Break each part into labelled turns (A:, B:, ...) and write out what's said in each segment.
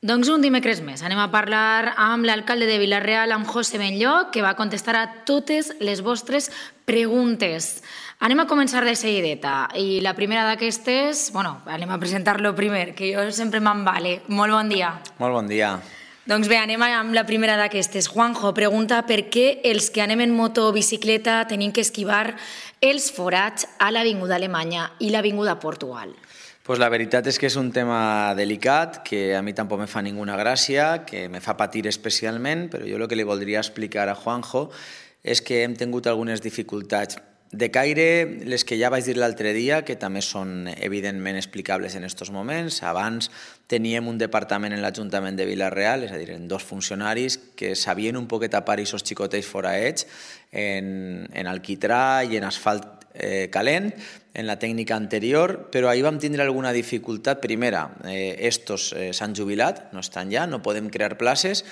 A: Doncs un dimecres més anem a parlar amb l'alcalde de Vila-real, amb José Benlloc, que va contestar a totes les vostres preguntes. Anem a començar de seguideta i la primera d'aquestes, anem a presentar-lo primer, que jo sempre m'embale. Molt bon dia.
B: Molt bon dia.
A: Doncs bé, anem amb la primera d'aquestes. Juanjo pregunta per què els que anem en moto o bicicleta tenim que esquivar els forats a l'Avinguda Alemanya i l'Avinguda Portugal.
B: Pues la veritat és que és un tema delicat, que a mi tampoc me fa ninguna gràcia, que me fa patir especialment, però jo el que li voldria explicar a Juanjo és que hem tingut algunes dificultats de caire, les que ja vaig dir l'altre dia, que també són evidentment explicables en aquests moments. Abans teníem un departament en l'Ajuntament de Vila-real, és a dir, en 2 funcionaris que sabien un poquet tapar aquests xicotells foraets en alquitrà i en asfalt calent, en la tècnica anterior, però ahir vam tindre alguna dificultat. Primera, estos s'han jubilat, no estan ja, no podem crear places,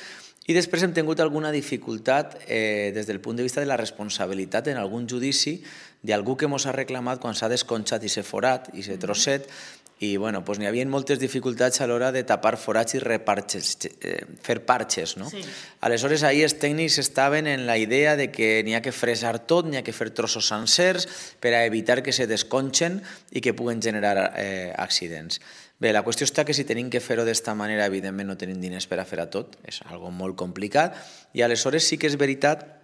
B: i després hem tingut alguna dificultat des del punt de vista de la responsabilitat en algun judici d'algú que ens ha reclamat quan s'ha desconxat i s'ha forat i s'ha trosset, i n'hi havia moltes dificultats a l'hora de tapar forats i fer parxes.
A: Sí.
B: Aleshores, ahir els tècnics estaven en la idea de que n'hi ha que fresar tot, n'hi ha que fer trossos sencers per a evitar que se desconxen i que puguen generar accidents. Bé, la qüestió està que si tenim que fer-ho d'esta manera, evidentment no tenim diners per a fer a tot, és algo molt complicat, i aleshores sí que és veritat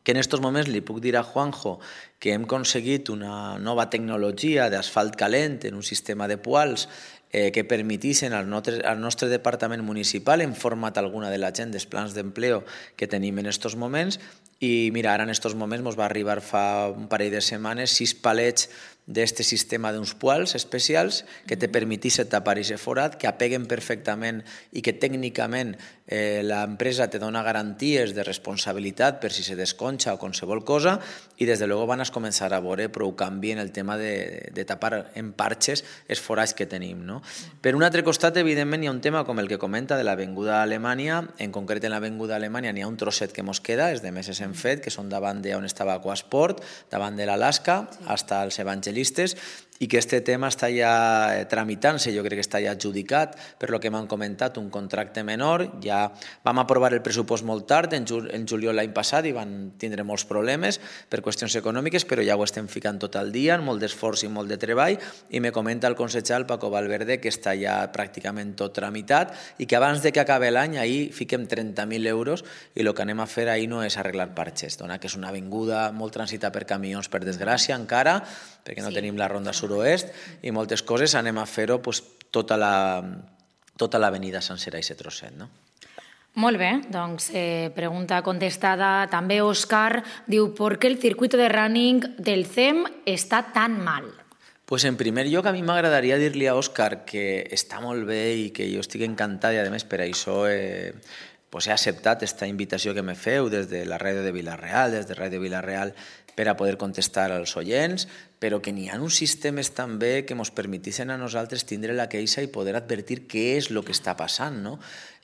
B: que en aquests moments li puc dir a Juanjo que hem aconseguit una nova tecnologia d'asfalt calent en un sistema de poals que permetissin al nostre departament municipal en format alguna de la gent dels plans d'empleo que tenim en aquests moments. I mira, ara en aquests moments ens va arribar fa un parell de setmanes 6 palets d'aquest sistema d'uns poals especials que te permetís tapar aquest forat, que apeguen perfectament i que tècnicament l'empresa te dona garanties de responsabilitat per si se desconxa o qualsevol cosa, i des de luego van a començar a veure prou canvi en el tema de tapar en parxes els forats que tenim. No? Per un altre costat, evidentment, hi ha un tema com el que comenta de l'Avinguda Alemanya. En concret, en l'Avinguda Alemanya n'hi ha un trosset que mos queda, els de meses hem fet, que són davant d'on estava Aquasport, davant de l'Alaska, fins als Evangelistes, i que aquest tema està ja tramitant-se, jo crec que està ja adjudicat, per lo que m'han comentat, un contracte menor. Ja vam aprovar el pressupost molt tard, en juliol l'any passat, i van tindre molts problemes per qüestions econòmiques, però ja ho estem ficant tot al dia, amb molt d'esforç i molt de treball, i me comenta el consellera Paco Valverde que està ja pràcticament tot tramitat i que abans de que acabi l'any ahir fiquem 30.000 euros, i el que anem a fer ahir no és arreglar parxes, dona que és una avinguda molt transitada per camions, per desgràcia encara, perquè no tenim la ronda sud-oest i moltes coses. Anem a fer-ho tota l'avenida sencera i aquest trosset. No?
A: Molt bé, doncs pregunta contestada. També Òscar diu ¿por qué el circuito de running del CEM està tan mal?
B: Pues en primer lloc, a mi m'agradaria dir-li a Òscar que està molt bé i que jo estic encantat, i a més per això he acceptat aquesta invitació que me feu des de la ràdio de Vila-real, des de Ràdio Vila-real, per a poder contestar als oients, però que n'hi ha uns sistemes també que ens permetissin a nosaltres tindre la queixa i poder advertir què és el que està passant. No?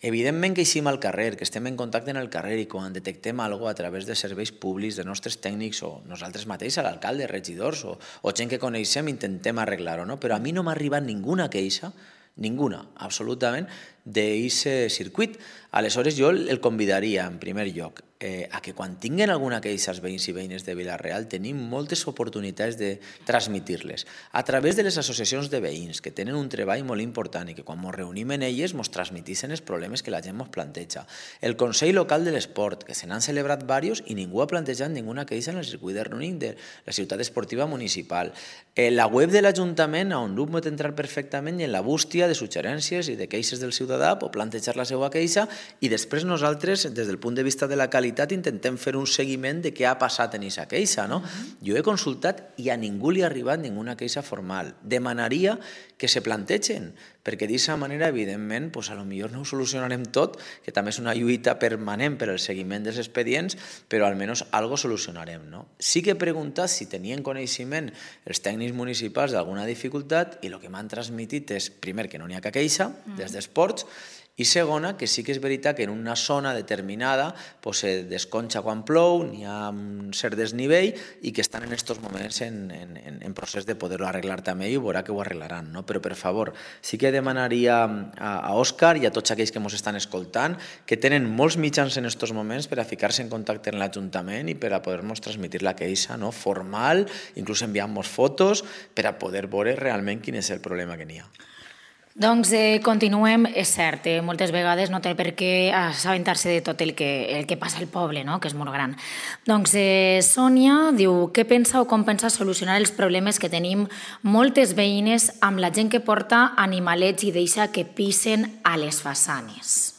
B: Evidentment que eixim al carrer, que estem en contacte en el carrer, i quan detectem alguna cosa a través de serveis públics, de nostres tècnics o nosaltres mateixos, l'alcalde, regidors o gent que coneixem, intentem arreglar-ho. No? Però a mi no m'ha arribat ninguna queixa, ninguna, absolutament, d'aquest circuit. Aleshores jo el convidaria, en primer lloc, a que quan tinguin alguna queixa els veïns i veïnes de Vila-real tenim moltes oportunitats de transmitir-les a través de les associacions de veïns, que tenen un treball molt important i que quan ens reunim en elles ens transmetissin els problemes que la gent ens planteja. El Consell Local de l'Esport, que se n'han celebrat diversos i ningú ha plantejat ninguna queixa en el circuit de running de la ciutat esportiva municipal. La web de l'Ajuntament, on l'UP pot entrar perfectament, i en la bústia de suggerències i de queixes del ciutadà pot plantejar la seva queixa, i després nosaltres, des del punt de vista de la qualitat, intentem fer un seguiment de què ha passat en aquesta queixa. No? Jo he consultat i a ningú li ha arribat ninguna queixa formal. Demanaria que se plantegen, perquè d'aquesta manera, evidentment, potser no ho solucionarem tot, que també és una lluita permanent per al seguiment dels expedients, però almenys alguna cosa solucionarem. No? Sí que he preguntat si tenien coneixement els tècnics municipals d'alguna dificultat, i el que m'han transmitit és, primer, que no n'hi ha cap queixa des d'esports, i segona, que sí que és veritat que en una zona determinada se desconxa quan plou, n'hi ha un cert desnivell, i que estan en aquests moments en procés de poder-ho arreglar també, i veurà que ho arreglaran. Però, per favor, sí que demanaria a Òscar i a tots aquells que ens estan escoltant que tenen molts mitjans en aquests moments per a ficar-se en contacte amb l'Ajuntament i per a poder-nos transmetre la queixa formal, inclús enviar-nos fotos per a poder veure realment quin és el problema que n'hi ha.
A: Doncs continuem, és cert, moltes vegades no té per què assabentar-se de tot el que passa al poble, no? Que és molt gran. Doncs Sònia diu, què pensa o com pensa solucionar els problemes que tenim moltes veïnes amb la gent que porta animalets i deixa que pisen a les façanes?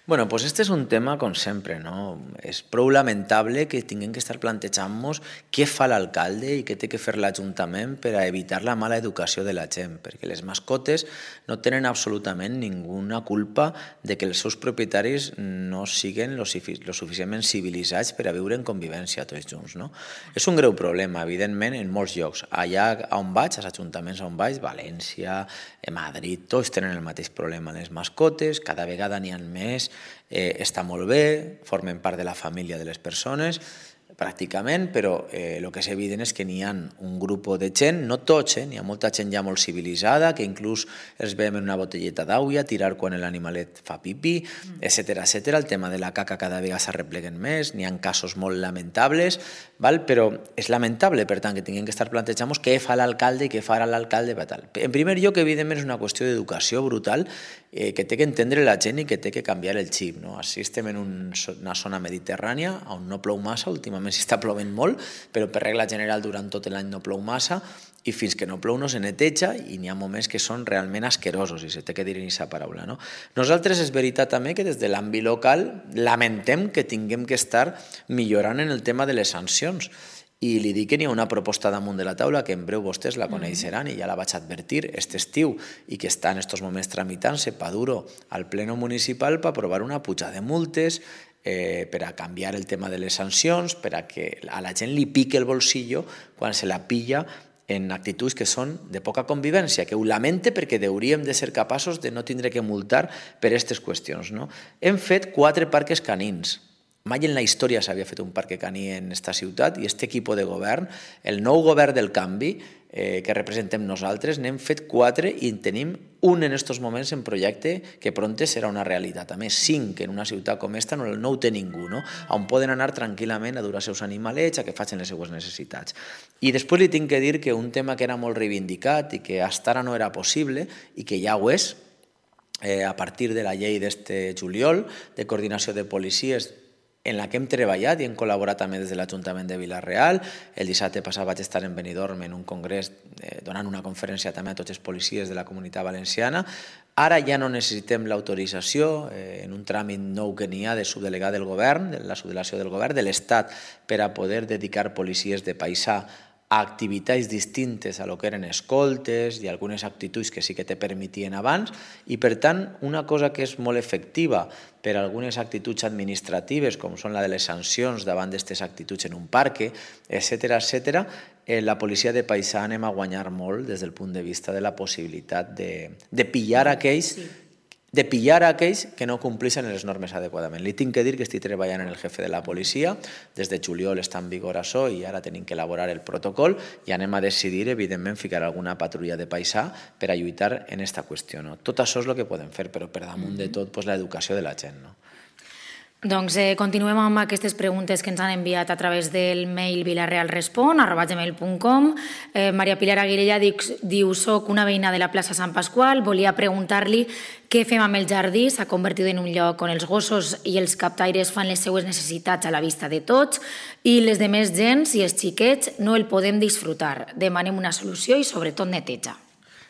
B: Bueno, pues este és un tema, com sempre, no? És prou lamentable que tinguem que estar plantejant-nos què fa l'alcalde i què té que fer l'Ajuntament per a evitar la mala educació de la gent, perquè les mascotes no tenen absolutament ninguna culpa de que els seus propietaris no siguin lo suficientment civilitzats per a viure en convivència tots junts, no? És un greu problema, evidentment, en molts llocs. Allà on vaig, als ajuntaments on vaig, València, Madrid, tots tenen el mateix problema. Les mascotes, cada vegada n'hi ha més, està molt bé, formen part de la família de les persones, pràcticament, però el que és evident és que n'hi ha un grup de gent, no tots, n'hi ha molta gent ja molt civilitzada, que inclús els veiem en una botelleta d'aigua, tirar quan l'animalet fa pipí, etcètera, etcètera. El tema de la caca cada vegada s'arrepleguen més, n'hi ha casos molt lamentables, però és lamentable, per tant, que tinguem que estar plantejant què fa l'alcalde i què farà l'alcalde. En primer lloc, evidentment, és una qüestió d'educació brutal que té que entendre la gent i que té que canviar el xip. Així estem en una zona mediterrània on no plou massa, últimament s'està plovent molt, però per regla general durant tot l'any no plou massa i fins que no plou no se neteja i n'hi ha moments que són realment asquerosos i se té que dir aquesta paraula. Nosaltres és veritat també que des de l'àmbit local lamentem que tinguem que estar millorant en el tema de les sancions. I li dic que n'hi ha una proposta damunt de la taula que en breu vostès la coneixeran i ja la vaig advertir aquest estiu i que està en aquests moments tramitant-se pa duro al pleno municipal per aprovar una puja de multes per a canviar el tema de les sancions, per a que a la gent li pique el bolsillo quan se la pilla en actituds que són de poca convivència, que ho lamente perquè hauríem de ser capaços de no tindre que multar per aquestes qüestions. Hem fet 4 parques canins. Mai en la història s'havia fet un parc caní en aquesta ciutat i aquest equip de govern, el nou govern del canvi que representem nosaltres, n'hem fet 4 i en tenim un en aquests moments en projecte que prompte serà una realitat. A més, 5 en una ciutat com aquesta no ho té ningú, on poden anar tranquil·lament a dur els seus animalets, a que facin les seues necessitats. I després li tinc que dir que un tema que era molt reivindicat i que fins ara no era possible i que ja ho és, a partir de la llei d'este juliol de coordinació de policies en la que hem treballat i hem col·laborat també des de l'Ajuntament de Vila-real. El dissabte passat vaig estar en Benidorm en un congrés donant una conferència també a tots els policies de la Comunitat Valenciana. Ara ja no necessitem l'autorització en un tràmit nou que n'hi ha de subdelegat del govern, de la subdelegació del govern de l'Estat per a poder dedicar policies de paisà a activitats distintes a lo que eren escoltes i algunes actituds que sí que te permetien abans i, per tant, una cosa que és molt efectiva per a algunes actituds administratives, com són la de les sancions davant d'aquestes actituds en un parc, etcètera, la policia de paisà anem a guanyar molt des del punt de vista de la possibilitat de pillar aquells que no compleixen les normes adequadament. Li tinc que dir que estic treballant en el jefe de la policia, des de juliol està en vigor això i ara tenim que elaborar el protocol i anem a decidir, evidentment, ficar alguna patrulla de paisà per a lluitar en aquesta qüestió. Tot això és el que podem fer, però per damunt de tot l'educació de la gent.
A: Doncs continuem amb aquestes preguntes que ens han enviat a través del mail vilarealrespon@gmail.com. Maria Pilar Aguilella diu: soc una veïna de la plaça Sant Pasqual, volia preguntar-li què fem amb el jardí, s'ha convertit en un lloc on els gossos i els captaires fan les seues necessitats a la vista de tots i les demés gens i els xiquets no el podem disfrutar. Demanem una solució i sobretot neteja.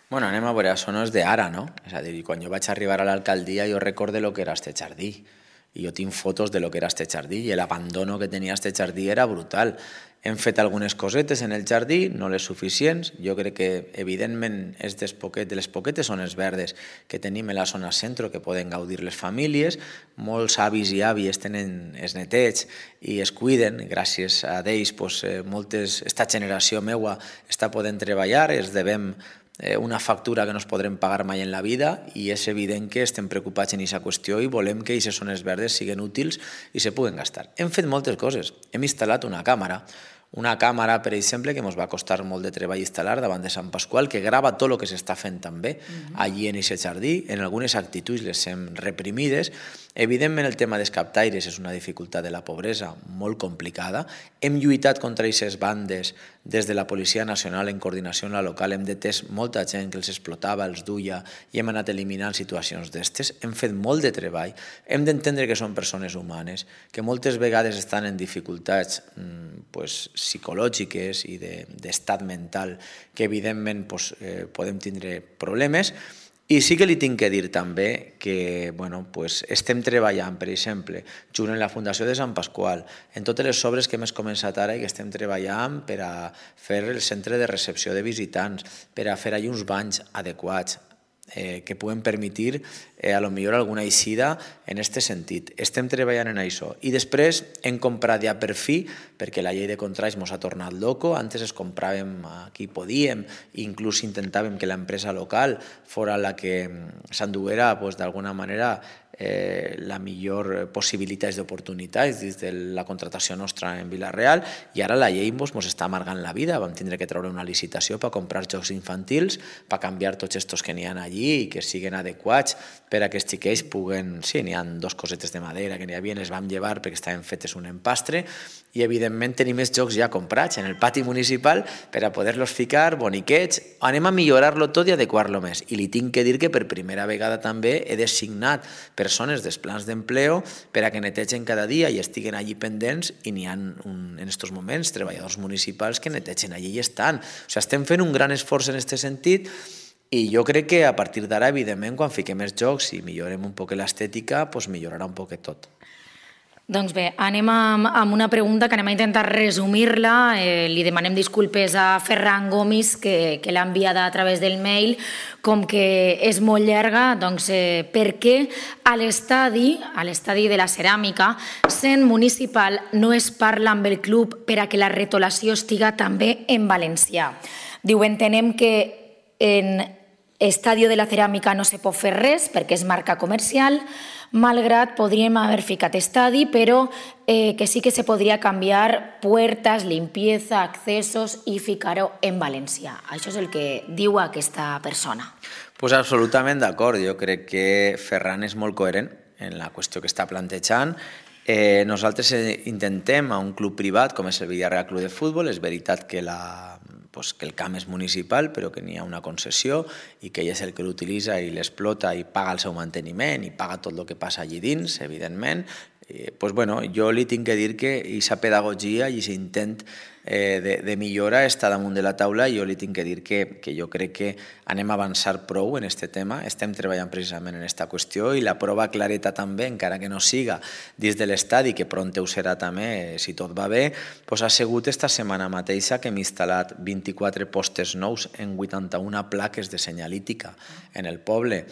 B: Bueno, anem a veure, això no és d'ara, no? És a dir, quan jo vaig arribar a l'alcaldia jo recordo el que era este jardí. I jo tinc fotos de lo que era este jardí i l'abandono que tenia este jardí era brutal. Hem fet algunes cosetes en el jardí, no les suficients. Jo crec que, evidentment, és de les poquetes zones verdes que tenim a la zona centre que poden gaudir les famílies. Molts avis i àvies tenen els netets i es cuiden. Gràcies a ells, esta generació meua està podent treballar, es devem una factura que no es podrem pagar mai en la vida i és evident que estem preocupats en aquesta qüestió i volem que aquestes zones verdes siguin útils i se puguen gastar. Hem fet moltes coses. Hem instal·lat una càmera una càmera, per exemple, que ens va costar molt de treball instal·lar davant de Sant Pasqual, que grava tot el que s'està fent també allí en aquest jardí. En algunes actituds les hem reprimides. Evidentment, el tema dels captaires és una dificultat de la pobresa molt complicada. Hem lluitat contra aquestes bandes des de la Policia Nacional en coordinació amb la local. Hem detès molta gent que els explotava, els duia, i hem anat eliminant situacions d'estes. Hem fet molt de treball. Hem d'entendre que són persones humanes, que moltes vegades estan en dificultats psicològiques i d'estat mental, que evidentment podem tindre problemes. I sí que li tinc que dir també que estem treballant, per exemple, junt amb la Fundació de Sant Pasqual, en totes les obres que hem començat ara i que estem treballant per a fer el centre de recepció de visitants, per a fer allà uns banys adequats, que puguen permetre a lo millor alguna eixida en aquest sentit. Estem treballant en això. I després hem comprat ja per fi, perquè la llei de contrats ens ha tornat loco. Antes es compràvem a qui podíem, inclús intentàvem que l'empresa local fora la que s'enduguera d'alguna manera la millor possibilitats d'oportunitats des de la contratació nostra en Vila-real, i ara la llei ens està amargant la vida. Vam tindre que treure una licitació per comprar jocs infantils, per canviar tots estos que n'hi ha allí i que siguin adequats per a que els xiquets puguen... Sí, n'hi ha 2 cosetes de madera que n'hi havia, les vam llevar perquè estaven fetes un empastre, i evidentment tenim els jocs ja comprats en el pati municipal per a poder-los ficar boniquets. Anem a millorar-lo tot i adequar-lo més. I li tinc que dir que per primera vegada també he designat persones dels plans d'empleo per a que netegen cada dia i estiguen allí pendents, i n'hi ha en aquests moments treballadors municipals que netegen allí i estan. O sigui, estem fent un gran esforç en aquest sentit, i jo crec que a partir d'ara, evidentment, quan fiquem els jocs i millorem un poc l'estètica, millorarà un poc tot.
A: Doncs bé, anem amb una pregunta que anem a intentar resumir-la. Li demanem disculpes a Ferran Gomis, que l'ha enviada a través del mail. Com que és molt llarga, doncs per què a l'estadi de la Ceràmica, sent municipal, no es parla amb el club per a que la retolació estiga també en valencià? Diu, entenem que en Estadio de la Ceràmica no se pot fer res perquè és marca comercial, malgrat podríem haver ficat estadi, però que sí que se podria canviar puertas, limpieza, accesos i ficar-ho en valencià. Això és el que diu aquesta persona.
B: Pues absolutament d'acord. Jo crec que Ferran és molt coherent en la qüestió que està plantejant. Nosaltres intentem a un club privat com és el Villarreal Club de Futbol. És veritat que el camp és municipal, però que n'hi ha una concessió i que ell és el que l'utilitza i l'explota i paga el seu manteniment i paga tot el que passa allí dins, evidentment. Jo li tinc que dir que aquesta pedagogia i aquest intent de millora està damunt de la taula, i jo li tinc que dir que jo crec que anem a avançar prou en aquest tema. Estem treballant precisament en aquesta qüestió, i la prova clareta també, encara que no siga dins de l'estadi, que pront ho serà també, si tot va bé, ha sigut esta setmana mateixa que hem instal·lat 24 postes nous en 81 plaques de senyalítica en el poble.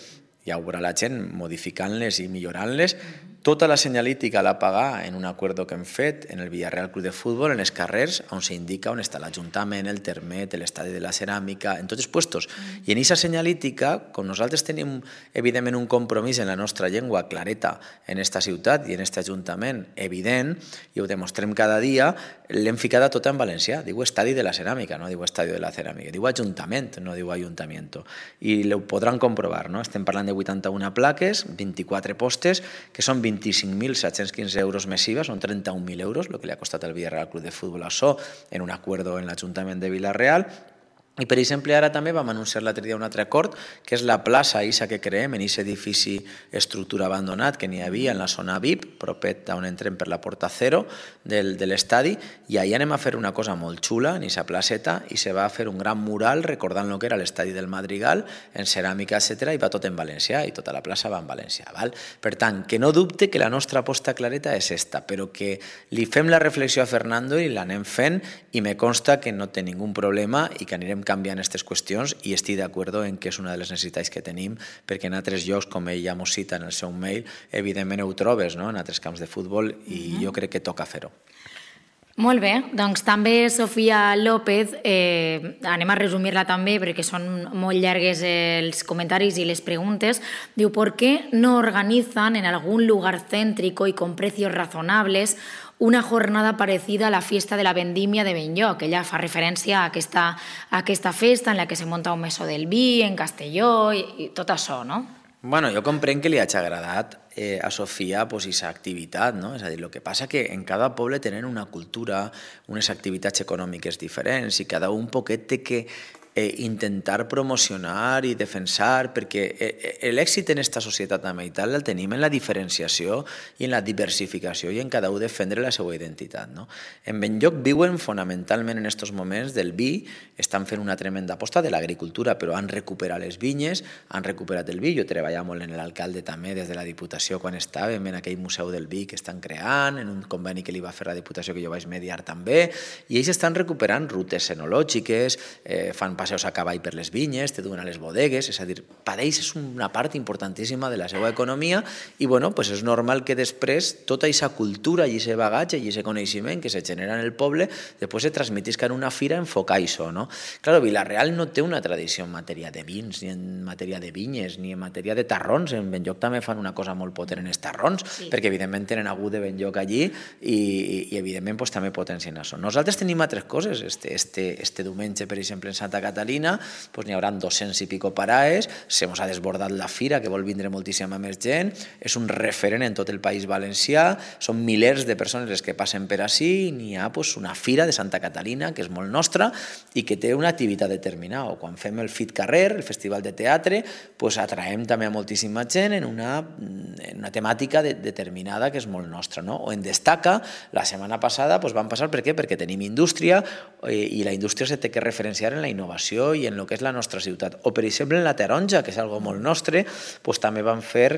B: Ja ho veurà la gent modificant-les i millorant-les. Tota la senyalítica l'ha pagat en un acord que hem fet en el Villarreal Club de Futbol, en els carrers, on s'indica on està l'Ajuntament, el Termet, l'Estadi de la Ceràmica, en tots els puestos. I en aquesta senyalítica, com nosaltres tenim evidentment un compromís en la nostra llengua clareta en esta ciutat i en aquest Ajuntament evident, i ho demostrem cada dia, l'hem ficada tota en valencià. Diu Estadi de la Ceràmica, no diu Estadio de la Ceràmica. Diu Ajuntament, no diu Ayuntamiento. I ho podran comprovar, no? Estem parlant de 81 plaques, 24 postes, que són 25.715 euros més IVA, són 31.000 euros, el que li ha costat al Villarreal Club de Futbol això, en un acord en l'Ajuntament de Vila-real. I, per exemple, ara també vam anunciar l'altre dia un altre acord, que és la plaça ISA que creem en aquest edifici estructura abandonat que n'hi havia en la zona VIP, propet on entrem per la porta 0 de l'estadi, i allà anem a fer una cosa molt xula en aquesta placeta, i se va fer un gran mural recordant el que era l'estadi del Madrigal, en ceràmica, etc., i va tot en valencià, i tota la plaça va en valencià. Val? Per tant, que no dubte que la nostra aposta clareta és esta, però que li fem la reflexió a Fernando i l'anem fent, i me consta que no té ningú problema i que anirem canviant aquestes qüestions, i estic d'acord en que és una de les necessitats que tenim, perquè en altres llocs, com ell ja mos cita en el seu mail, evidentment ho trobes, no? En altres camps de futbol, i jo crec que toca fer-ho.
A: Molt bé, doncs també Sofia López, anem a resumir-la també perquè són molt llargues els comentaris i les preguntes. Diu, ¿por qué no organizan en algún lugar céntrico y con precios razonables una jornada parecida a la fiesta de la vendimia de Benlloc. Ella fa referència a aquesta festa en la que se monta un mesó del vi en Castelló i tot això, no?
B: Bueno, jo comprenc que li hagi agradat a Sofia aquesta activitat, no? És a dir, el que passa que en cada poble tenen una cultura, unes activitats econòmiques diferents i cada un poquet té que intentar promocionar i defensar, perquè l'èxit en aquesta societat també i tal el tenim en la diferenciació i en la diversificació i en cada un defendre la seva identitat, no? En Benlloc viuen fonamentalment en aquests moments del vi, estan fent una tremenda aposta de l'agricultura, però han recuperat les vinyes, han recuperat el vi. Jo treballava molt en l'alcalde també des de la Diputació quan estàvem en aquell museu del vi que estan creant, en un conveni que li va fer la Diputació que jo vaig mediar també, i ells estan recuperant rutes enològiques, fan passeus a cavall per les vinyes, te duen a les bodegues, és a dir, per ells és una part importantíssima de la seva economia i bueno, pues és normal que després tota aquesta cultura i aquest bagatge i aquest coneixement que se genera en el poble després se transmetisca en una fira a enfocar això, no? Claro, Vila-real no té una tradició en matèria de vins, ni en matèria de vinyes, ni en matèria de tarrons. En Benlloc també fan una cosa molt potent en els tarrons, perquè evidentment tenen algú de Benlloc allí i evidentment pues, també potencien això. Nosaltres tenim altres coses. Este diumenge, per exemple, en Santa Catalina, pues, n'hi haurà 200 i pico paraes, se mos ha desbordat la fira, que vol vindre moltíssima més gent, és un referent en tot el País Valencià, són milers de persones les que passen per ací, i n'hi ha pues, una fira de Santa Catalina, que és molt nostra, i que té una activitat determinada. O quan fem el FIT Carrer, el Festival de Teatre, pues, atraem també a moltíssima gent en una temàtica determinada que és molt nostra, no? O en Destaca, la setmana passada pues, van passar, per què? Perquè tenim indústria i la indústria se té que referenciar en la innovació i en el que és la nostra ciutat. O, per exemple, en la taronja, que és algo molt nostre, pues, també van fer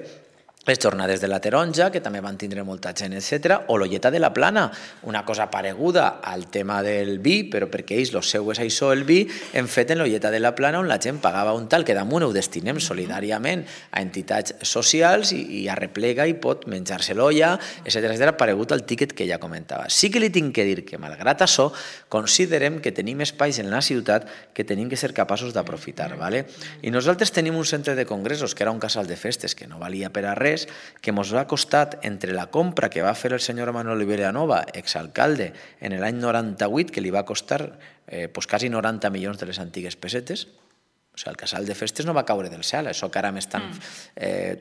B: les jornades de la taronja, que també van tindre molta gent, etc. O l'Olleta de la Plana, una cosa pareguda al tema del vi, però perquè ells, el seu és això, el vi, hem fet en l'Olleta de la Plana on la gent pagava un tal, que damunt ho destinem solidàriament a entitats socials i arreplega i pot menjar-se l'olla, etc. paregut al tíquet que ja comentava. Sí que li tinc que dir que, malgrat això, considerem que tenim espais en la ciutat que tenim que ser capaços d'aprofitar, ¿vale? I nosaltres tenim un centre de congressos, que era un casal de festes, que no valia per a res, que ens ha costat entre la compra que va fer el senyor Manuel Vilanova, exalcalde, en l'any 98, que li va costar pues, quasi 90 milions de les antigues pessetes. O sigui, el casal de festes no va caure del cel, això que ara m'estan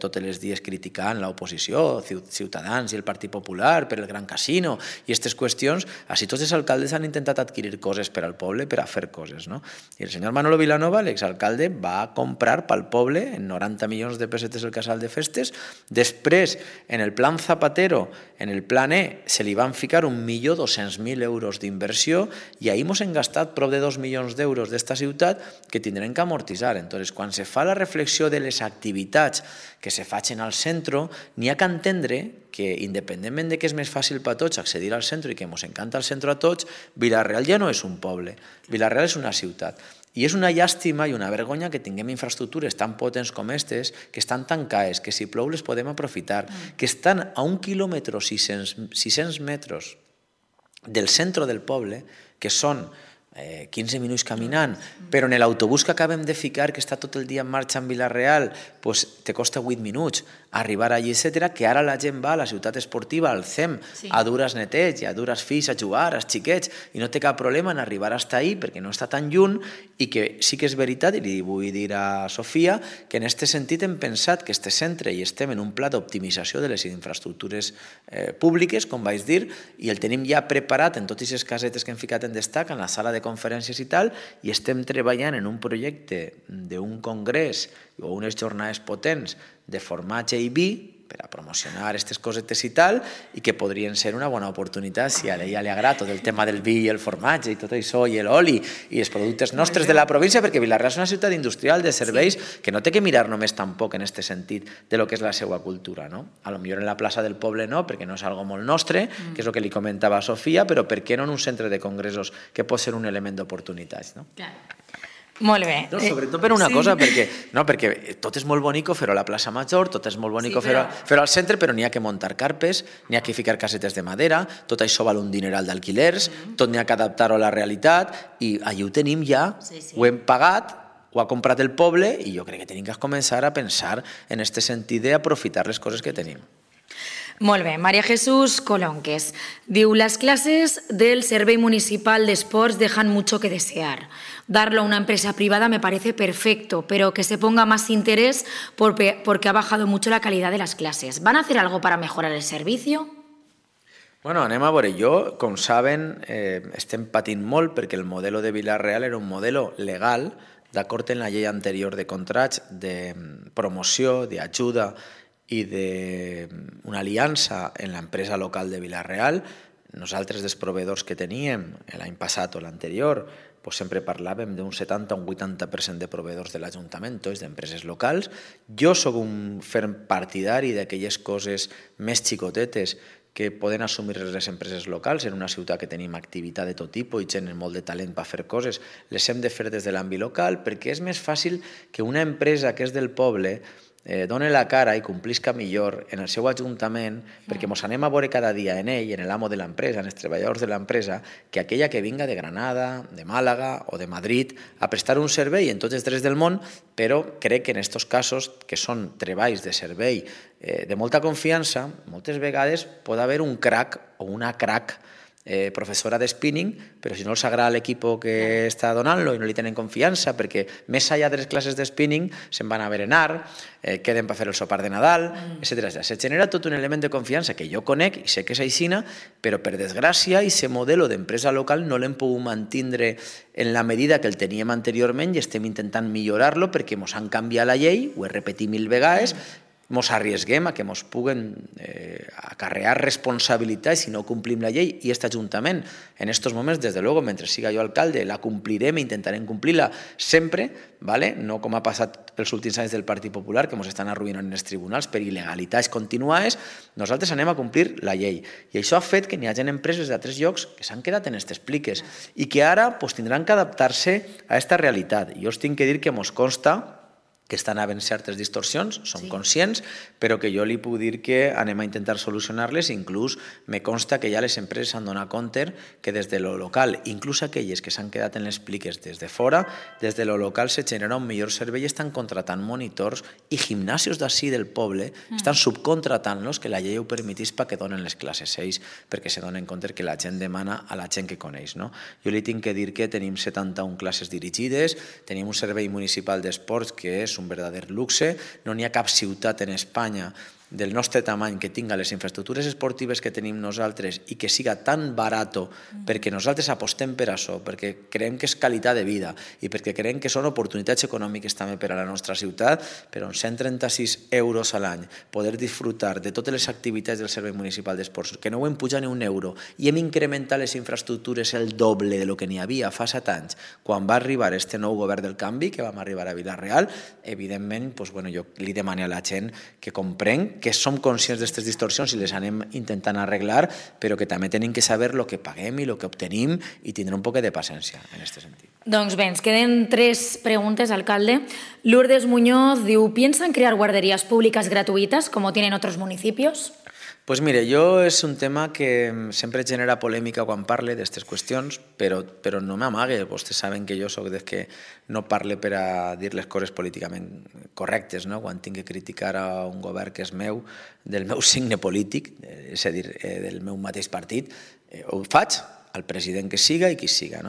B: tots els dies criticant l'oposició, Ciutadans i el Partit Popular per el Gran Casino i aquestes qüestions, així tots els alcaldes han intentat adquirir coses per al poble per a fer coses, no? I el senyor Manolo Vilanova, l'exalcalde, va comprar pel poble en 90 milions de pessetes el casal de festes. Després, en el plan Zapatero, en el plan E, se li van ficar 1.200.000 euros d'inversió i ahir ens hem gastat prop de 2 milions d'euros d'esta ciutat que tindrem que amortitzar. Entonces, quan se fa la reflexió de les activitats que se facin al centre, n'hi ha que entendre que, independentment de que és més fàcil per a tots accedir al centre i que ens encanta el centre a tots, Vila-real ja no és un poble, Vila-real és una ciutat. I és una llàstima i una vergonya que tinguem infraestructures tan potents com aquestes, que estan tancades, que si plou les podem aprofitar, que estan a 1 quilòmetre, 600 metres del centre del poble, que són 15 minuts caminant, però en l'autobús que acabem de ficar, que està tot el dia en marxa en Vila-real, pues te costa 8 minuts arribar allí, etc., que ara la gent va a la ciutat esportiva, al CEM, a dur els netets i a dur els fills a jugar, els xiquets, i no té cap problema en arribar fins ahí perquè no està tan lluny, i que sí que és veritat, i li vull dir a Sofia, que en aquest sentit hem pensat que este centre i estem en un pla d'optimització de les infraestructures públiques, com vaig dir, i el tenim ja preparat en totes les casetes que hem ficat en Destaca, en la sala de conferències i tal, i estem treballant en un projecte d'un congrés o unes jornades potents de formatge i vi per a promocionar aquestes cosetes i tal, i que podrien ser una bona oportunitat si a ella li agrada tot el tema del vi i el formatge i tot això, i l'oli i els productes nostres de la província, perquè Vila-real és una ciutat industrial de serveis que no té que mirar només tampoc en aquest sentit de lo que és la seva cultura, no? A lo millor en la plaça del poble no, perquè no és algo molt nostre, que és el que li comentava a Sofia, però per què no en un centre de congressos que pot ser un element d'oportunitats, no?
A: Clar. Molt bé.
B: No, sobretot per una cosa, perquè tot és molt bonic fer-ho a la plaça Major, tot és molt bonic fer-ho al centre, però n'hi ha que muntar carpes, n'hi ha que ficar casetes de madera, tot això val un dineral d'alquilers, tot n'hi ha que adaptar-ho a la realitat, i allí ho tenim ja, ho hem pagat, ho ha comprat el poble, i jo crec que tenim que començar a pensar en aquest sentit d'aprofitar les coses que tenim.
A: Molt bé, María Jesús Colonques diu: les clases del Servei Municipal de Esports dejan mucho que desear. Darlo a una empresa privada me parece perfecto, pero que se ponga más interés porque ha bajado mucho la calidad de las clases. ¿Van a hacer algo para mejorar el servicio?
B: Bueno, anem a veure. Jo, com saben, estem patint molt perquè el modelo de Vila-real era un modelo legal, d'acord amb la llei anterior de contrats, de promoció, d'ajuda i d'una aliança en l'empresa local de Vila-real. Nosaltres, dels proveïdors que teníem l'any passat o l'anterior, sempre parlàvem d'un 70 o un 80% de proveïdors de l'Ajuntament, tots d'empreses locals. Jo sóc un ferm partidari d'aquelles coses més xicotetes que poden assumir les empreses locals. En una ciutat que tenim activitat de tot tipus i gent amb molt de talent per fer coses, les hem de fer des de l'àmbit local, perquè és més fàcil que una empresa que és del poble doni la cara i complisca millor en el seu ajuntament, perquè ens anem a veure cada dia en ell, en l'amo de l'empresa, en els treballadors de l'empresa, que aquella que vinga de Granada, de Màlaga o de Madrid a prestar un servei en tots els drets del món, però crec que en aquests casos, que són treballs de servei de molta confiança, moltes vegades pot haver un crac o una crac professora de spinning, però si no els agrada l'equip que està donant-lo i no li tenen confiança, perquè més enllà de les classes de spinning se'n van a berenar, queden per fer el sopar de Nadal, etc. Se genera tot un element de confiança que jo conec i sé que és aixina, però per desgràcia aquest model d'empresa local no l'hem pogut mantenir en la medida que el teníem anteriorment i estem intentant millorar-lo perquè ens han canviat la llei, ho he repetit 1000 vegades, ens arriesguem a que ens puguen acarrear responsabilitats si no complim la llei, i aquest Ajuntament en aquests moments, des de luego, mentre siga jo alcalde, la complirem i intentarem complir-la sempre, no com ha passat els últims anys del Partit Popular, que ens estan arruïnant en els tribunals per il·legalitats continuades. Nosaltres anem a complir la llei, i això ha fet que n'hi hagi empreses d'altres llocs que s'han quedat en aquestes pliques i que ara tindran que adaptar-se a aquesta realitat. Jo us tinc que dir que ens consta que estan havent certes distorsions, som conscients, però que jo li puc dir que anem a intentar solucionar-les. Inclús me consta que ja les empreses s'han donat compte que des de lo local, inclús aquelles que s'han quedat en les pliques des de fora, des de lo local se genera un millor servei i estan contratant monitors i gimnasios d'ací del poble, estan subcontratant-los, que la llei ho permetís perquè donen les classes ells, perquè se donen compte que la gent demana a la gent que coneix. Jo li tinc que dir que tenim 71 classes dirigides, tenim un servei municipal d'esports que és un verdader luxe, no n'hi ha cap ciutat en Espanya del nostre tamany que tinga les infraestructures esportives que tenim nosaltres i que siga tan barato, perquè nosaltres apostem per això, perquè creiem que és qualitat de vida i perquè creiem que són oportunitats econòmiques també per a la nostra ciutat, però amb 136 euros a l'any poder disfrutar de totes les activitats del Servei Municipal d'Esports, que no ho hem pujat ni un euro i hem incrementat les infraestructures el doble de lo que n'hi havia fa 7 anys, quan va arribar este nou govern del canvi, que vam arribar a Vila-real. Evidentment, jo li demano a la gent que comprenc que som conscients d'aquestes distorsions i les anem intentant arreglar, però que també tenim que saber el que paguem i el que obtenim i tindre un poc de paciència en aquest sentit.
A: Doncs bé, ens queden 3 preguntes, alcalde. Lourdes Muñoz diu: ¿piensan crear guarderías públicas gratuitas como tienen otros municipios?
B: Pues mire, jo és un tema que sempre genera polèmica quan parle d'aquestes qüestions, però no m'amague. Vostès saben que jo soc des que no parle per a dir les coses políticament correctes, quan tinc que criticar a un govern que és meu, del meu signe polític, és a dir, del meu mateix partit, ho faig al president que siga i qui siga.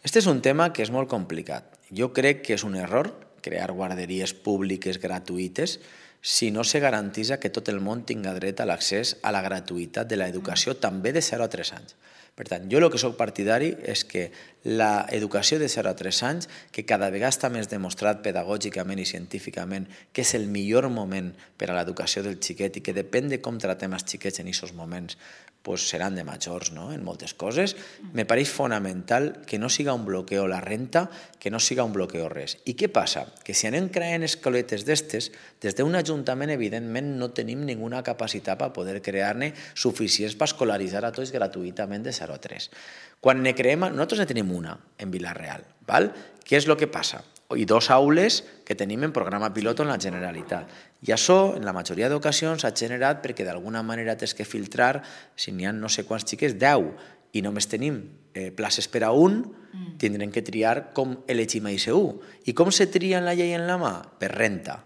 B: Este és un tema que és molt complicat. Jo crec que és un error crear guarderies públiques gratuïtes si no se garanteix que tot el món tinga dret a l'accés a la gratuïtat de l'educació també de 0 a 3 anys. Per tant, jo el que soc partidari és que l'educació de 0 a 3 anys, que cada vegada està més demostrat pedagògicament i científicament que és el millor moment per a l'educació del xiquet i que depèn de com tratem els xiquets en aquests moments, seran de majors en moltes coses, me pareix fonamental que no siga un bloqueo la renta, que no siga un bloqueo res. I què passa? Que si anem creant escoletes d'estes, des d'un ajuntament evidentment no tenim ninguna capacitat per poder crear-ne suficients per escolaritzar a tots gratuïtament de 0 a 3. Quan ne creem, nosaltres ne tenim una en Vila-real. Què és el que passa? I 2 aules que tenim en programa pilot en la Generalitat. I això, en la majoria d'ocasions, s'ha generat perquè d'alguna manera tens que filtrar, si n'hi ha no sé quants xiquets, 10, i només tenim places per a un, tindrem que triar com elegim a ICU. I com se tria en la llei en la mà? Per renta.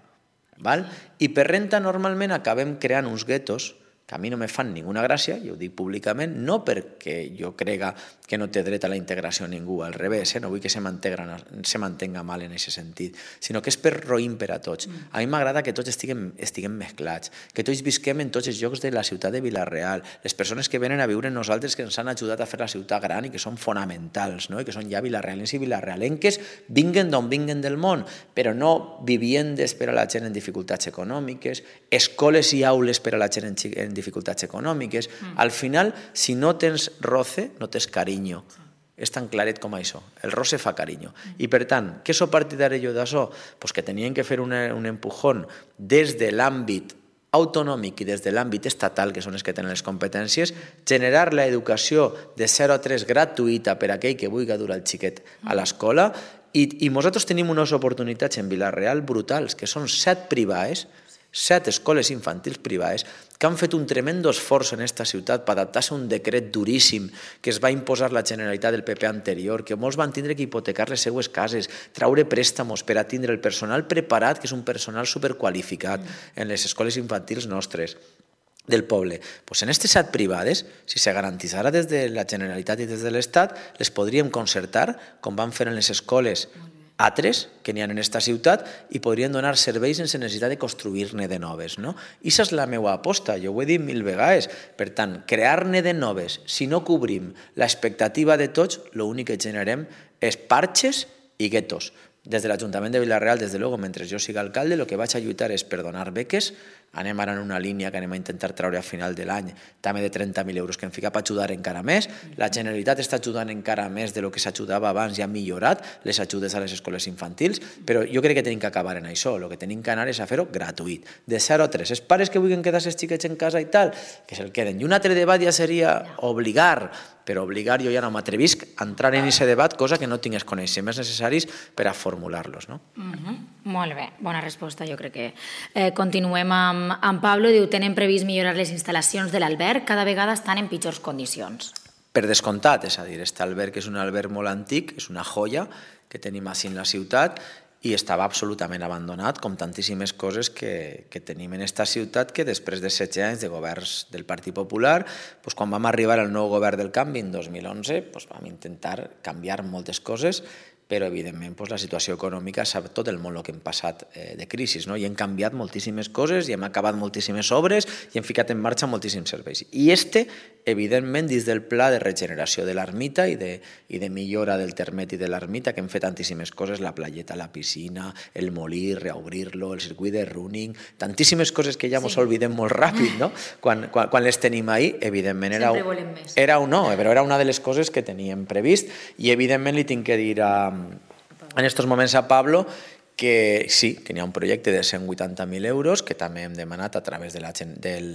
B: I per renta normalment acabem creant uns guetos que a mi no me fan ninguna gràcia, i ho dic públicament, no perquè jo crega que no té dret a la integració ningú, al revés, no vull que se mantenga mal en aquest sentit, sinó que és per roïm per a tots. A mi m'agrada que tots estiguem mesclats, que tots visquem en tots els llocs de la ciutat de Vila-real, les persones que venen a viure en nosaltres que ens han ajudat a fer la ciutat gran i que són fonamentals, no? I que són ja vilarealencs i vilarealenques, vinguen d'on vinguen del món, però no viviendes per a la gent en dificultats econòmiques, escoles i aules per a la gent en dificultats econòmiques. Al final, si no tens roce, no tens carinyo. És tan claret com això. El roce fa carinyo. I per tant, què sóc partidari jo d'això? Pues que tenien que fer un empujón des de l'àmbit autonòmic i des de l'àmbit estatal, que són els que tenen les competències, generar l'educació de 0 a 3 gratuïta per a aquell que vulgui dur el xiquet a l'escola, i nosaltres tenim unes oportunitats en Vila-real brutals, que són 7 privades, 7 escoles infantils privades que han fet un tremendo esforç en aquesta ciutat per adaptar-se a un decret duríssim que es va imposar la Generalitat del PP anterior, que molts van tindre que hipotecar les seues cases, traure préstamos per a tindre el personal preparat, que és un personal superqualificat en les escoles infantils nostres del poble. Pues en aquestes 7 privades, si se garantissara des de la Generalitat i des de l'Estat, les podríem concertar, com van fer en les escoles altres que n'hi ha en aquesta ciutat, i podrien donar serveis sense necessitat de construir-ne de noves. No? I aquesta és la meva aposta, jo ho he dit 1000 vegades. Per tant, crear-ne de noves, si no cobrim l'expectativa de tots, l'únic que generem és parxes i guetos. Des de l'Ajuntament de Vila-real, des de luego, mentre jo siga alcalde, el que vaig a lluitar és per donar beques. Anem ara en una línia que anem a intentar treure a final de l'any, també de 30.000 euros que hem ficat per ajudar encara més. La Generalitat està ajudant encara més de lo que s'ajudava abans i ha millorat les ajudes a les escoles infantils, però jo crec que tenim que acabar en això. El que tenim que anar és a fer-ho gratuït, de 0 a 3. Els pares que vulguin quedar-se els xiquets en casa i tal, que se'l queden. I un altre debat ja seria obligar, però obligar jo ja no m'atrevisc a entrar en aquest debat, cosa que no tinc els coneixements necessaris per a formular-los. No?
A: Molt bé, bona resposta, jo crec que. Continuem amb Pablo, diu, tenen previst millorar les instal·lacions de l'alberg, cada vegada estan en pitjors condicions.
B: Per descomptat, és a dir, aquest alberg és un alberg molt antic, és una joia que tenim així en la ciutat, i estava absolutament abandonat, com tantíssimes coses que tenim en aquesta ciutat, que després de 16 anys de governs del Partit Popular, quan vam arribar al nou govern del canvi en 2011, vam intentar canviar moltes coses, però evidentment la situació econòmica sap tot el món el que hem passat de crisi, no? I hem canviat moltíssimes coses i hem acabat moltíssimes obres i hem ficat en marxa moltíssims serveis. I evidentment, dins del pla de regeneració de l'ermita i de millora del termet i de l'ermita, que hem fet tantíssimes coses, la playeta, la piscina, el molí, reobrir-lo, el circuit de running, tantíssimes coses que ja ens oblidem molt ràpid, no? Quan les tenim ahí, evidentment era una de les coses que teníem previst, i evidentment li tinc que dir en aquests moments a Pablo que sí, que n'hi ha un projecte de 180.000 euros que també hem demanat a través de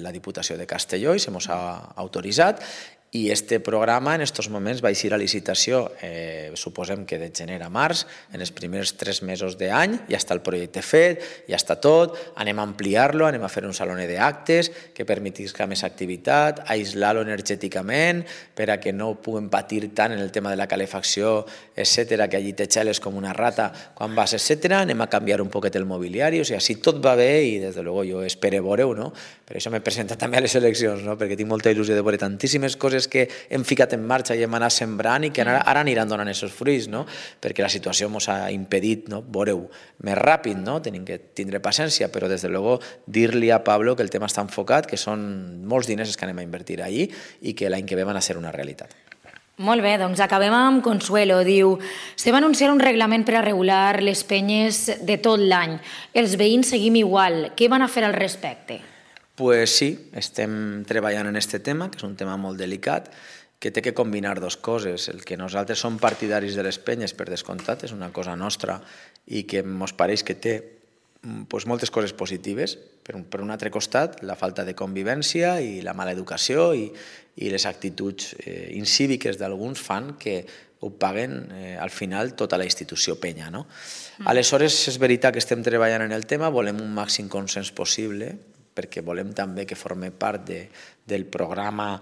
B: la Diputació de Castelló i se mos ha autoritzat, i este programa en aquests moments va eixir a licitació, suposem que de gener a març, en els primers 3 mesos d'any, ja està el projecte fet, ja està tot, anem a ampliar-lo, anem a fer un saló d'actes que permetisca més activitat, aïslar-lo energèticament per a que no puguem patir tant en el tema de la calefacció, etc., que allí te xeles com una rata quan vas, etc. Anem a canviar un poquet el mobiliari, o sigui, si tot va bé, i des de luego jo espero veure-ho, no? Per això m'he presentat també a les eleccions, no? Perquè tinc molta il·lusió de veure tantíssimes coses que hem ficat en marxa i hem anat sembrant i que ara aniran donant aquests fruits, no? Perquè la situació ens ha impedit, no? Veure-ho més ràpid, no? Tenim que tindre paciència, però des de luego dir-li a Pablo que el tema està enfocat, que són molts diners que anem a invertir allí i que l'any que ve van a ser una realitat.
A: Molt bé, doncs acabem amb Consuelo. Diu, se va anunciar un reglament per a regular les penyes de tot l'any. Els veïns seguim igual. Què van a fer al respecte?
B: Pues sí, estem treballant en aquest tema, que és un tema molt delicat, que té que combinar dues coses. El que nosaltres som partidaris de les penyes, per descomptat, és una cosa nostra i que ens pareix que té moltes coses positives. Per un altre costat, la falta de convivència i la mala educació i les actituds incíviques d'alguns fan que ho paguen al final tota la institució penya, no? Aleshores, és veritat que estem treballant en el tema, volem un màxim consens possible, perquè volem també que formi part del programa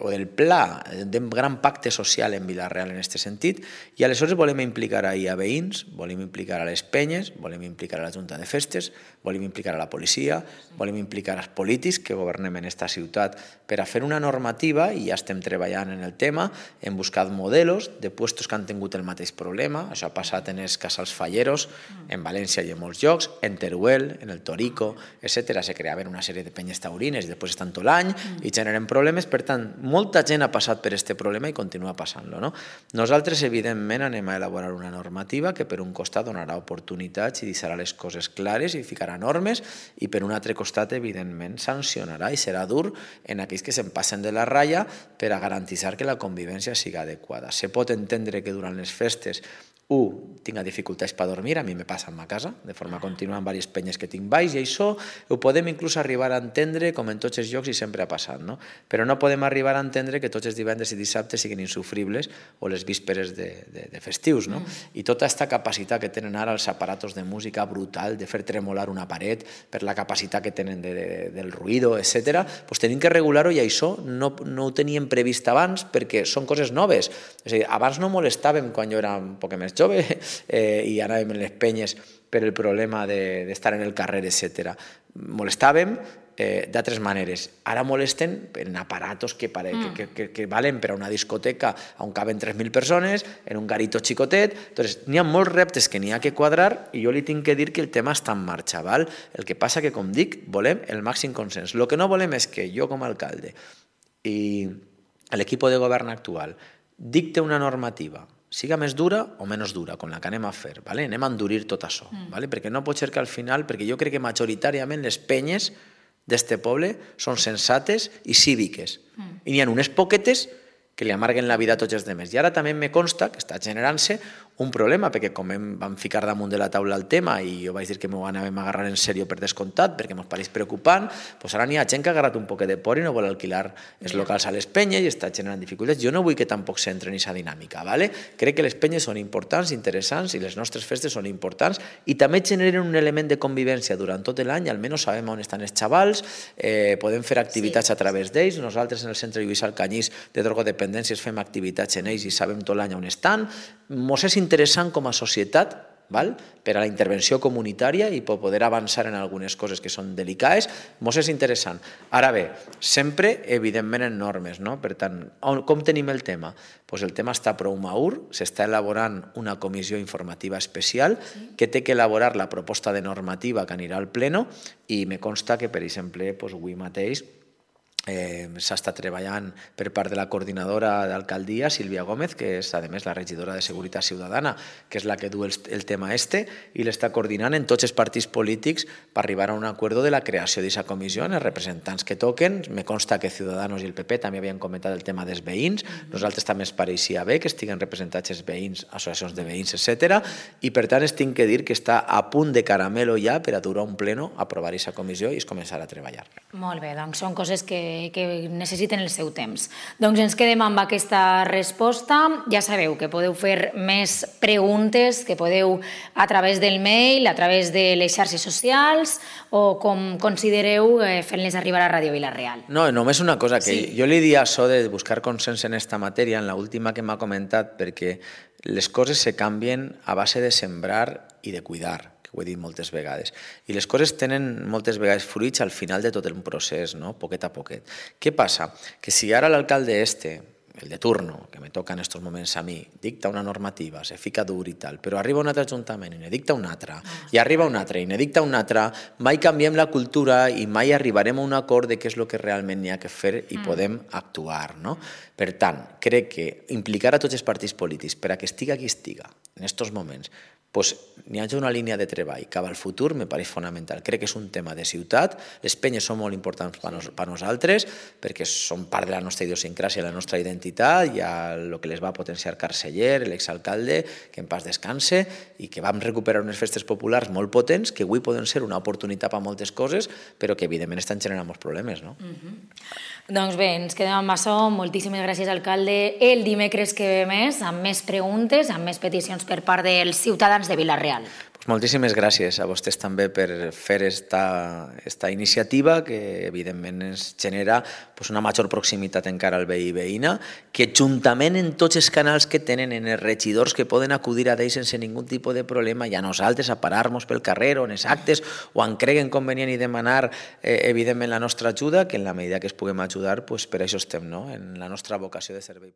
B: o del pla d'un gran pacte social en Vila-real en aquest sentit, i aleshores volem implicar ahir a veïns, volem implicar a les penyes, volem implicar a la Junta de Festes, volem implicar a la policia, volem implicar als polítics que governem en aquesta ciutat per a fer una normativa, i ja estem treballant en el tema, hem buscat modelos de puestos que han tingut el mateix problema. Això ha passat en els casals falleros, en València i en molts llocs, en Teruel, en el Torico, etc. Se creaven una sèrie de penyes taurines i després estan tot l'any i generen problemes. Per tant, molta gent ha passat per aquest problema i continua passant-lo, no? Nosaltres, evidentment, anem a elaborar una normativa que per un costat donarà oportunitats i deixarà les coses clares i ficarà normes, i per un altre costat, evidentment, sancionarà i serà dur en aquells que se'n passen de la ratlla per a garantir que la convivència siga adequada. Se pot entendre que durant les festes tinc dificultats per dormir, a mi me passa en ma casa, de forma contínua en diverses penyes que tinc baix, i això ho podem inclús arribar a entendre com en tots els llocs i sempre ha passat, no? Però no podem arribar a entendre que tots els divendres i dissabtes siguin insufribles o les vísperes de festius, no? I tota aquesta capacitat que tenen ara els aparatos de música brutal, de fer tremolar una paret, per la capacitat que tenen del ruïdo, etc., doncs tenim que regular-ho, i això no ho teníem previst abans perquè són coses noves. És a dir, abans no molestàvem quan jo era un poc més jove i anàvem en les penyes per el problema d'estar en el carrer, etc. Molestàvem d'altres maneres. Ara molesten en aparatos que valen per a una discoteca on caben 3.000 persones, en un garito xicotet. Entonces, n'hi ha molts reptes que n'hi ha que quadrar, i jo li tinc que dir que el tema està en marxa, val? El que passa que, com dic, volem el màxim consens. El que no volem és que jo, com a alcalde, i l'equip de govern actual dicte una normativa, siga més dura o menys dura, com la que anem a fer, ¿vale? Anem a endurir tot això, ¿vale? Perquè no pot ser que al final, perquè jo crec que majoritàriament les penyes d'este poble són sensates i cíviques, i n'hi ha unes poquetes que li amarguen la vida a tots els demés. I ara també me consta que està generant-se un problema, perquè com vam ficar damunt de la taula el tema i jo vaig dir que m'ho anàvem a agarrar en sèrio per descomptat, perquè mos pareix preocupant, doncs ara n'hi ha gent que ha agarrat un poquet de por i no vol alquilar els locals a les penyes i està generant dificultats. Jo no vull que tampoc s'entre en aquesta dinàmica, ¿vale? Crec que les penyes són importants, interessants, i les nostres festes són importants, i també generen un element de convivència durant tot l'any, almenys sabem on estan els xavals, podem fer activitats a través d'ells. Nosaltres en el Centre Lluís Alcanyís de drogodependències fem activitats en ells i sabem tot l'any on estan. Mos és interessant com a societat, per a la intervenció comunitària i per poder avançar en algunes coses que són delicades, mos és interessant. Ara bé, sempre, evidentment, en normes, no? Per tant, com tenim el tema? Doncs el tema està prou madur, s'està elaborant una comissió informativa especial que té que elaborar la proposta de normativa que anirà al pleno, i me consta que, per exemple, avui mateix s'està treballant per part de la coordinadora d'alcaldia, Sílvia Gómez, que és, a més, la regidora de Seguretat Ciutadana, que és la que du el tema i l'està coordinant en tots els partits polítics per arribar a un acord de la creació d'aquesta comissió, els representants que toquen. Me consta que Ciudadanos i el PP també havien comentat el tema dels veïns. Nosaltres també ens pareixia bé que estiguen representats els veïns, associacions de veïns, etc. I, per tant, es tinc que dir que està a punt de caramelo ja per a durar un pleno, aprovar aquesta comissió i es començar a treballar.
A: Molt bé, doncs són coses que necessiten el seu temps. Doncs ens quedem amb aquesta resposta. Ja sabeu que podeu fer més preguntes, que podeu a través del mail, a través de les xarxes socials, o com considereu fent-les arribar a Ràdio Vila-real.
B: No, només una cosa, que jo li diria això de buscar consens en esta matèria, en l'última que m'ha comentat, perquè les coses se canvien a base de sembrar i de cuidar, que ho he dit moltes vegades. I les coses tenen moltes vegades fruits al final de tot el procés, no? Poquet a poquet. Què passa? Que si ara l'alcalde el de turno, que me toca en aquests moments a mi, dicta una normativa, se fica dur i tal, però arriba un altre ajuntament i ne dicta una altra, i arriba un altre i ne dicta una altra, mai canviem la cultura i mai arribarem a un acord de què és el que realment n'hi ha que fer i podem actuar, no? Per tant, crec que implicar a tots els partits polítics per a que estiga qui estiga en aquests moments, doncs n'hi hagi una línia de treball cap al futur, me pareix fonamental. Crec que és un tema de ciutat, les penyes són molt importants per nosaltres, perquè són part de la nostra idiosincràsia, la nostra identitat, i el que les va potenciar Carceller, l'exalcalde, que en pas descanse, i que vam recuperar unes festes populars molt potents, que avui poden ser una oportunitat per a moltes coses, però que evidentment estan generant molts problemes, no?
A: Doncs bé, ens quedem amb això. Moltíssimes gràcies, alcalde. El dimecres que ve més, amb més preguntes, amb més peticions per part dels ciutadans de Vila-real.
B: Moltíssimes gràcies a vostès també per fer esta iniciativa que evidentment ens genera una major proximitat encara al veí i veïna, que juntament en tots els canals que tenen, en els regidors que poden acudir a ells sense ningú tipus de problema, i a nosaltres a parar-nos pel carrer o en els actes o en creguen convenient i demanar evidentment la nostra ajuda, que en la medida que es puguem ajudar, per això estem, no? En la nostra vocació de servei.